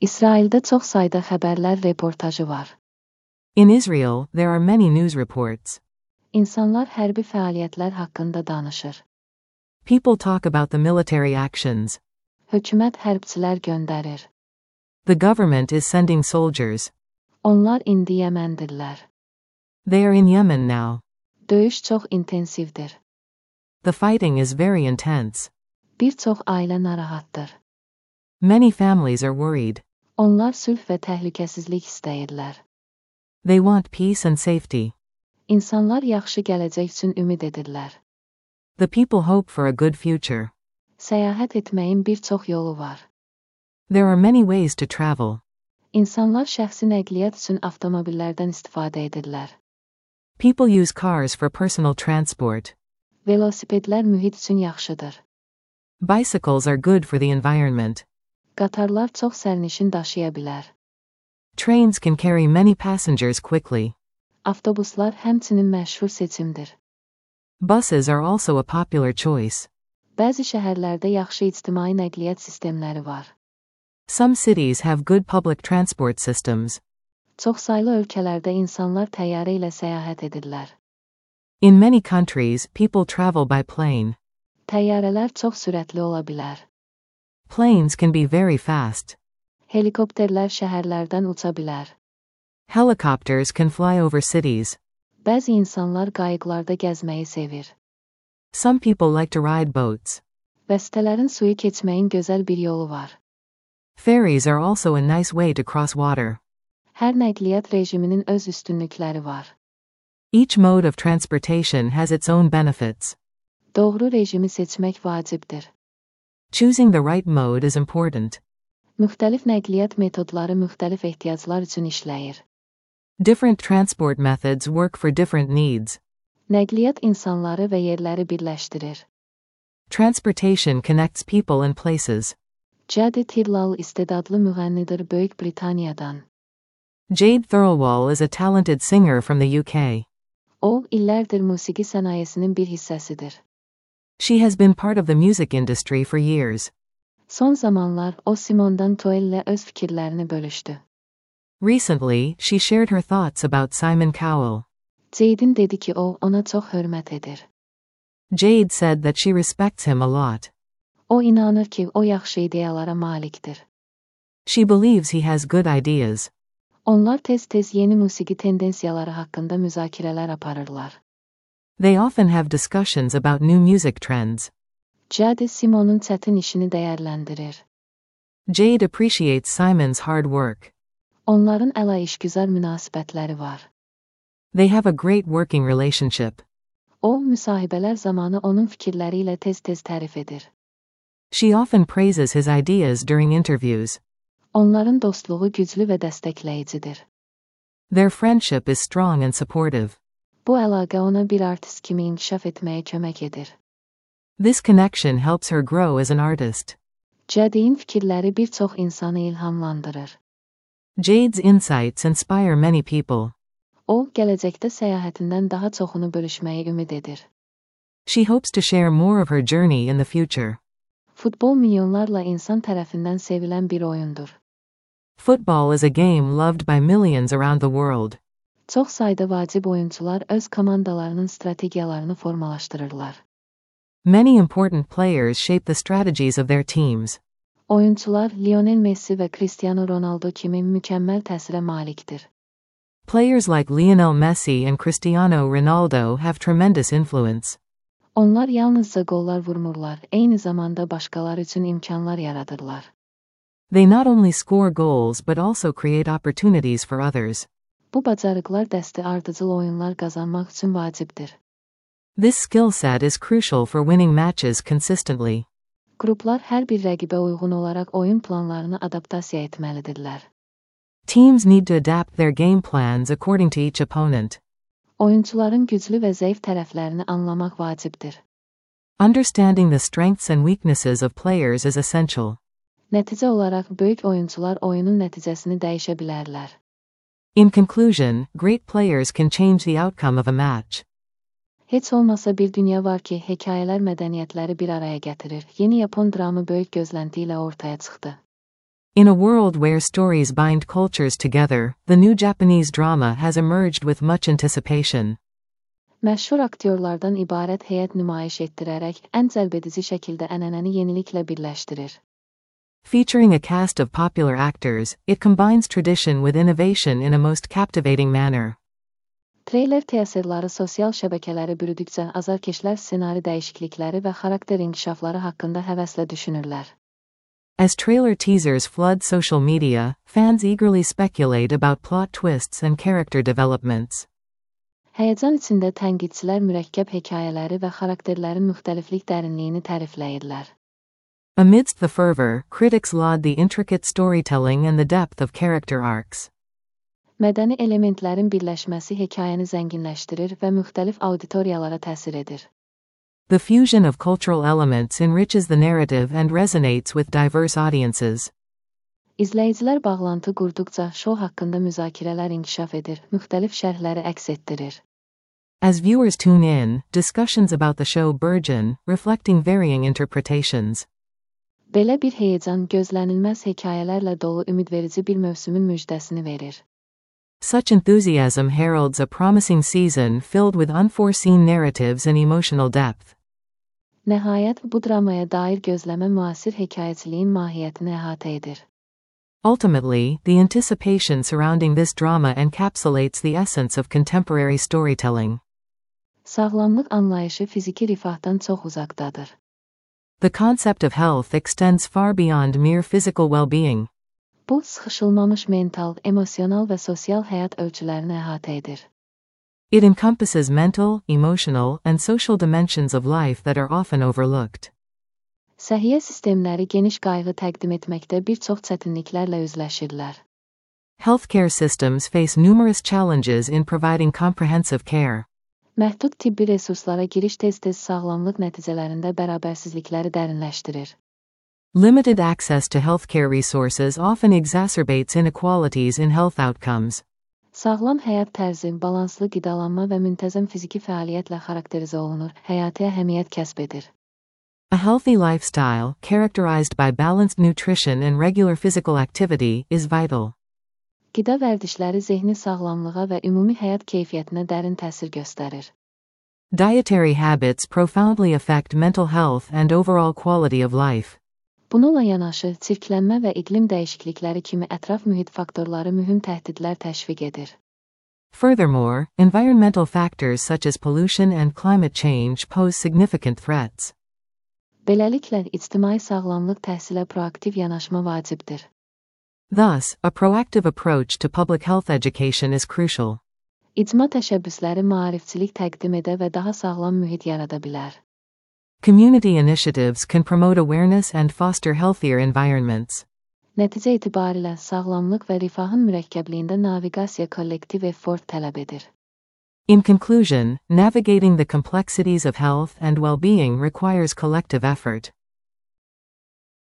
İsrail'de çox sayda xəbərlər reportajı var. In Israel, there are many news reports. İnsanlar hərbi fəaliyyətlər haqqında danışır. People talk about the military actions. Hökumət hərbçilər göndərir. The government is sending soldiers. Onlar indi Yəməndirlər. They are in Yemen now. Döyüş çox intensivdir. The fighting is very intense. Bir çox ailə narahatdır. Many families are worried. Onlar sülh və təhlükəsizlik istəyirlər. They want peace and safety. İnsanlar yaxşı gələcək üçün ümid edirlər. The people hope for a good future. Səyahət etməyin bir çox yolu var. There are many ways to travel. İnsanlar şəxsi nəqliyyat üçün avtomobillərdən istifadə edirlər. People use cars for personal transport. Velosipedlər mühit üçün yaxşıdır. Bicycles are good for the environment. Qatarlar çox sərnişin daşıya bilər. Trains can carry many passengers quickly. Avtobuslar həmçinin məşhur seçimdir. Buses are also a popular choice. Bəzi şəhərlərdə yaxşı ictimai nəqliyyat sistemləri var. Some cities have good public transport systems. Çoxsaylı ölkələrdə insanlar təyyarə ilə səyahət edirlər. In many countries, people travel by plane. Təyyarələr çox sürətli ola bilər. Planes can be very fast. Helikopterlər şəhərlərdən uça bilər. Helicopters can fly over cities. Bəzi insanlar qayıqlarda gəzməyi sevir. Some people like to ride boats. Vəstələrin suyu keçməyin gözəl bir yolu var. Ferries are also a nice way to cross water. Hər nəqliyyat rejiminin öz üstünlükləri var. Each mode of transportation has its own benefits. Doğru rejimi seçmək vacibdir. Choosing the right mode is important. Müxtəlif nəqliyyat metodları müxtəlif ehtiyaclar üçün işləyir. Different transport methods work for different needs. Nəqliyyat insanları və yerləri birləşdirir. Transportation connects people and places. Jade Tirlal istedadlı müğənnidir Böyük Britaniyadan. Jade Thirlwall is a talented singer from the UK. O, illərdir musiqi sənayesinin bir hissəsidir. She has been part of the music industry for years. Son zamanlar o Simondan Toel'lə öz fikirlərini bölüşdü. Recently, she shared her thoughts about Simon Cowell. Jade'in dedi ki o, ona çox hörmət edir. Jade said that she respects him a lot. O inanır ki o yaxşı ideyalara malikdir. She believes he has good ideas. Onlar tez-tez yeni musiqi tendensiyaları haqqında müzakirələr aparırlar. They often have discussions about new music trends. Jade Simon'un çətin işini dəyərləndirir. Jade appreciates Simon's hard work. Onların əla işgüzar münasibətləri var. They have a great working relationship. O, müsahibələr zamanı onun fikirləri ilə tez-tez tərif edir. She often praises his ideas during interviews. Onların dostluğu güclü və dəstəkləyicidir. Their friendship is strong and supportive. Bu əlaqə ona bir artist kimi inkişaf etməyə kömək edir. This connection helps her grow as an artist. Jade'in fikirləri bir çox insanı ilhamlandırır. Jade's insights inspire many people. O, gələcəkdə səyahətindən daha çoxunu bölüşməyi ümid edir. She hopes to share more of her journey in the future. Futbol milyonlarla insan tərəfindən sevilən bir oyundur. Football is a game loved by millions around the world. Çox sayda vacib oyunçular öz komandalarının strategiyalarını formalaşdırırlar. Many important players shape the strategies of their teams. Oyunçular Lionel Messi və Cristiano Ronaldo kimi mükəmməl təsirə malikdir. Players like Lionel Messi and Cristiano Ronaldo have tremendous influence. Onlar yalnızca qollar vurmurlar, eyni zamanda başqaları üçün imkanlar yaradırlar. They not only score goals but also create opportunities for others. Bu bacarıqlar dəsti ardıcıl oyunlar qazanmaq üçün vacibdir. This skill set is crucial for winning matches consistently. Qruplar hər bir rəqibə uyğun olaraq oyun planlarını adaptasiya etməlidirlər. Teams need to adapt their game plans according to each opponent. Oyunçuların güclü və zəif tərəflərini anlamaq vacibdir. Understanding the strengths and weaknesses of players is essential. Nəticə olaraq böyük oyunçular oyunun nəticəsini dəyişə bilərlər. In conclusion, great players can change the outcome of a match. Heç olmasa bir dünya var ki, hekayələr mədəniyyətləri bir araya gətirir. Yeni Yapon dramı böyük gözlənti ilə ortaya çıxdı. In a world where stories bind cultures together, the new Japanese drama has emerged with much anticipation. Məşhur aktyorlardan ibarət heyət nümayiş etdirərək ən cəlbedici şəkildə ənənəni yeniliklə birləşdirir. Featuring a cast of popular actors, it combines tradition with innovation in a most captivating manner. Treyler teaserları sosial şəbəkələri bürüdükcə azarkeşlər ssenari dəyişiklikləri və xarakter inkişafları haqqında həvəslə düşünürlər. As trailer teasers flood social media, fans eagerly speculate about plot twists and character developments. Həyəcan içində tənqidçilər mürəkkəb hekayələri və xarakterlərin müxtəliflik dərinliyini tərifləyirlər. Amidst the fervor, critics laud the intricate storytelling and the depth of character arcs. Mədəni elementlərin birləşməsi hekayəni zənginləşdirir və müxtəlif auditoriyalara təsir edir. The fusion of cultural elements enriches the narrative and resonates with diverse audiences. İzləyicilər bağlantı qurduqca şou haqqında müzakirələr inkişaf edir, müxtəlif şərhləri əks etdirir. As viewers tune in, discussions about the show burgeon, reflecting varying interpretations. Belə bir həyəcan gözlənilməz hekayələrlə dolu ümidverici bir mövsümün müjdəsini verir. Such enthusiasm heralds a promising season filled with unforeseen narratives and emotional depth. Nəhayət, bu dramaya dair gözləmə müasir hekayəçiliyin mahiyyətini əhatə edir. Ultimately, the anticipation surrounding this drama encapsulates the essence of contemporary storytelling. Sağlamlıq anlayışı fiziki rifahdan çox uzaqdadır. The concept of health extends far beyond mere physical well-being. Bu, sıxışılmamış mental, emosional və sosial həyat ölçülərini əhatə edir. It encompasses mental, emotional, and social dimensions of life that are often overlooked. Səhiyyə sistemləri geniş qayğı təqdim etməkdə bir çox çətinliklərlə üzləşirlər. Healthcare systems face numerous challenges in providing comprehensive care. Məhdud tibbi resurslara giriş tez-tez sağlamlıq nəticələrində bərabərsizlikləri dərinləşdirir. Limited access to healthcare resources often exacerbates inequalities in health outcomes. Sağlam həyat tərzi, balanslı qidalanma və müntəzəm fiziki fəaliyyətlə xarakterizə olunur, həyati əhəmiyyət kəsb edir. A healthy lifestyle, characterized by balanced nutrition and regular physical activity, is vital. Qida vərdişləri zehni sağlamlığa və ümumi həyat keyfiyyətinə dərin təsir göstərir. Dietary habits profoundly affect mental health and overall quality of life. Bununla yanaşı, çirklənmə və iqlim dəyişiklikləri kimi ətraf mühit faktorları mühüm təhdidlər təşviq edir. Furthermore, environmental factors such as pollution and climate change pose significant threats. Beləliklə, ictimai sağlamlıq təhsilə proaktiv yanaşma vacibdir. Thus, a proactive approach to public health education is crucial. İcma təşəbbüsləri maarifçilik təqdim edə və daha sağlam mühit yarada bilər. Community initiatives can promote awareness and foster healthier environments. Nəticə etibarilə sağlamlıq və rifahın mürəkkəbliyində naviqasiya kollektiv effort tələb edir. In conclusion, navigating the complexities of health and well-being requires collective effort.